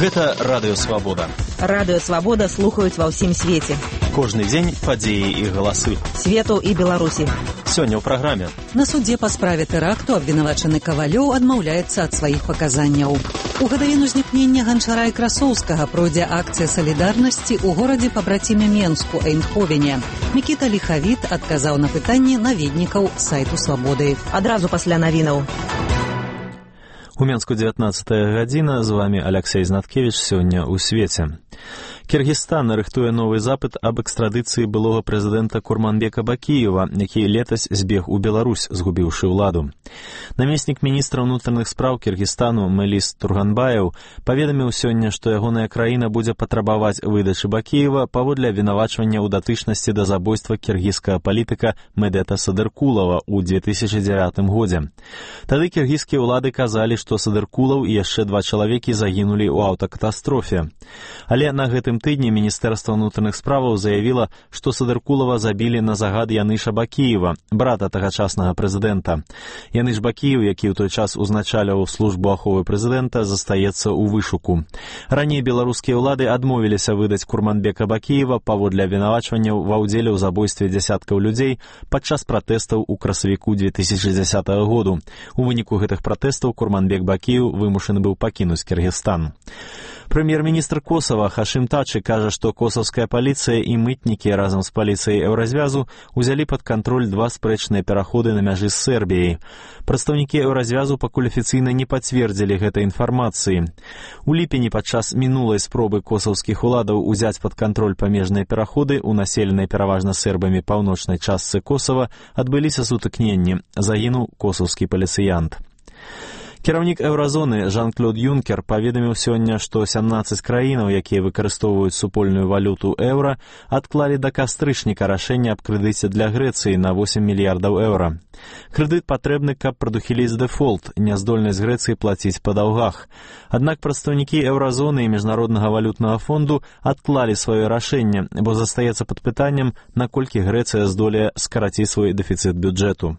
Гэта Радыё Свабода. Радыё Свабода слухаюць ва ўсім свеце. Кожны дзень падзеі і галасы. Свету і Беларусі. Сёння ў праграме. На судзе па справе тэракту абвінавачаны Кавалёў адмаўляецца ад сваіх паказанняў. У гадавіну знікнення Ганчара і Красоўскага пройдзе акцыя салідарнасці ў горадзе пабраціме Менску, Эйндховене. Мікіта Ліхавіт адказаў на пытанні наведнікаў сайту Свабоды. Адразу пасля навінаў. У Менску 19 гадзіна, з вамі Аляксей Знаткевіч, сёння ў свеце. Кіргізстан рыхтуе новы запыт аб экстрадыцыі былога прэзідэнта Курманбека Бакіева, які летась збег у Беларусь, згубіўшы ўладу. Намеснік міністра ўнутраных спраў Кіргізстану Мелис Турганбаев паведаміў сёння, што ягоная краіна будзе патрабаваць выдачы Бакіева паводле абвінавачвання ў датычнасці да забойства кіргізскага палітыка Медета Садыркулова ў 2009 годзе. Тады кіргізскія ўлады казалі, што Садыркулаў і яшчэ 2 чалавекі загінулі ў аўтакатастрофе. Але на гэтым тыдні Міністэрства ўнутраных справаў заявіла, што Садыркулава забілі на загад Яныша Бакіева, брата тагачаснага прэзідэнта. Яныш Бакіев, які ў той час узначаляў службу аховы прэзідэнта, застаецца ў вышуку. Раней беларускія ўлады адмовіліся выдаць Курманбека Бакіева паводле абвінавачванняў ва ўдзеле ў забойстве дзясяткаў людзей падчас пратэстаў у красавіку 2010 году. У выніку гэтых пратэстаў Курманбек Бакіев вымушаны быў пакінуць Кіргізстан. Прэм'ер-міністр Косава Хашым Тачы кажа, што косавская паліцыя і мытнікі разам з паліцыяй Еўразвязу узялі пад кантроль 2 спрэчныя пераходы на мяжы з Сербіяй. Прадстаўнікі Еўразвязу пакуль афіцыйна не пацвердзілі гэтай інфармацыі. У ліпені падчас мінулай спробы косаўскіх уладаў узяць пад кантроль памежныя пераходы ў населенай пераважна сербамі паўночнай частцы Косава адбыліся сутыкненні. Загінуў косаўскі паліцыянт. Кіраўнік Еўразоны Жан-Клод Юнкер паведаміў сёння, што 17 краінаў, якія выкарыстоўваюць супольную валюту еўра, адклалі да кастрычніка рашэнне аб крэдыце для Грэцыі на 8 мільярдаў еўра. Крэдыт патрэбны, каб прадухіліць дэфолт, няздольнасць Грэцыі плаціць па даўгах. Аднак прадстаўнікі Еўразоны і Міжнароднага валютнага фонду адклалі сваё рашэнне, бо застаецца пад пытаннем, наколькі Грэцыя здолее скараціць свой дэфіцыт бюджэту.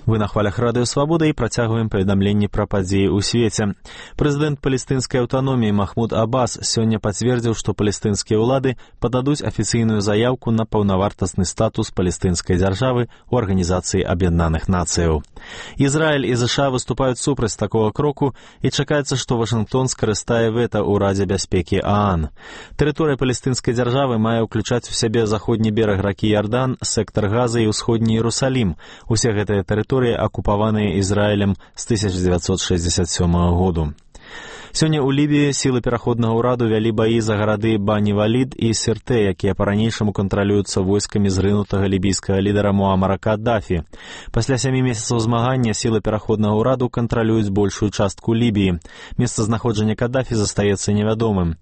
Вы на хвалях Радыё Свабода і працягваем паведамленні пра падзеі ў свеце. Прэзідэнт палестынскай аўтаноміі Махмуд Аббас сёння пацвердзіў, што палестынскія ўлады пададуць афіцыйную заяўку на паўнавартасны статус палестынскай дзяржавы ў Арганізацыі Аб'яднаных Нацыяў. Ізраіль і ЗША выступаюць супраць такога кроку і чакаецца, што Вашынгтон скарыстае вета ў Радзе бяспекі ААН. Тэрыторыя палестынскай дзяржавы мае ўключаць у сябе заходні бераг ракі Ярдан, сектар Газы і ўсходні Іерусалім. Усе гэтыя тэрыторыі акупаваныя Ізраілем з 1967 году. Сёння ў Лібіі сілы пераходнага ўраду вялі баі за гарады Бані-Валід і Сіртэ, якія па-ранейшаму кантралююцца войскамі зрынутага лібійскага лідара Муамара Каддафі. Пасля 7 месяцаў змагання сілы пераходнага ўраду кантралююць большую частку Лібіі. Месцазнаходжанне Каддафі застаецца невядомым.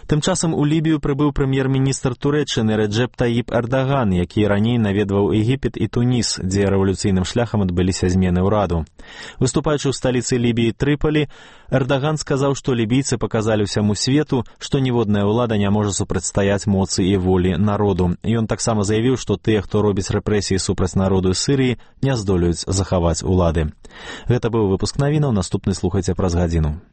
Тым часам у Лібію прыбыў прэм'ер-міністр Турэччыны Реджеп Таіп Эрдаган, які раней наведваў Егіпет і Туніс, дзе рэвалюцыйным шляхам адбыліся змены ўраду. Выступаючы ў сталіцы Лібіі Трыполі, Эрдаган сказаў, што лібійцы паказалі ўсяму свету, што ніводная ўлада не можа супрацьстаяць моцы і волі народу. Ён таксама заявіў, што тыя, хто робіць рэпрэсіі супраць народу Сірыі, не здолеюць захаваць улады. Гэта быў выпуск навінаў, наступны слухайце праз гадзіну.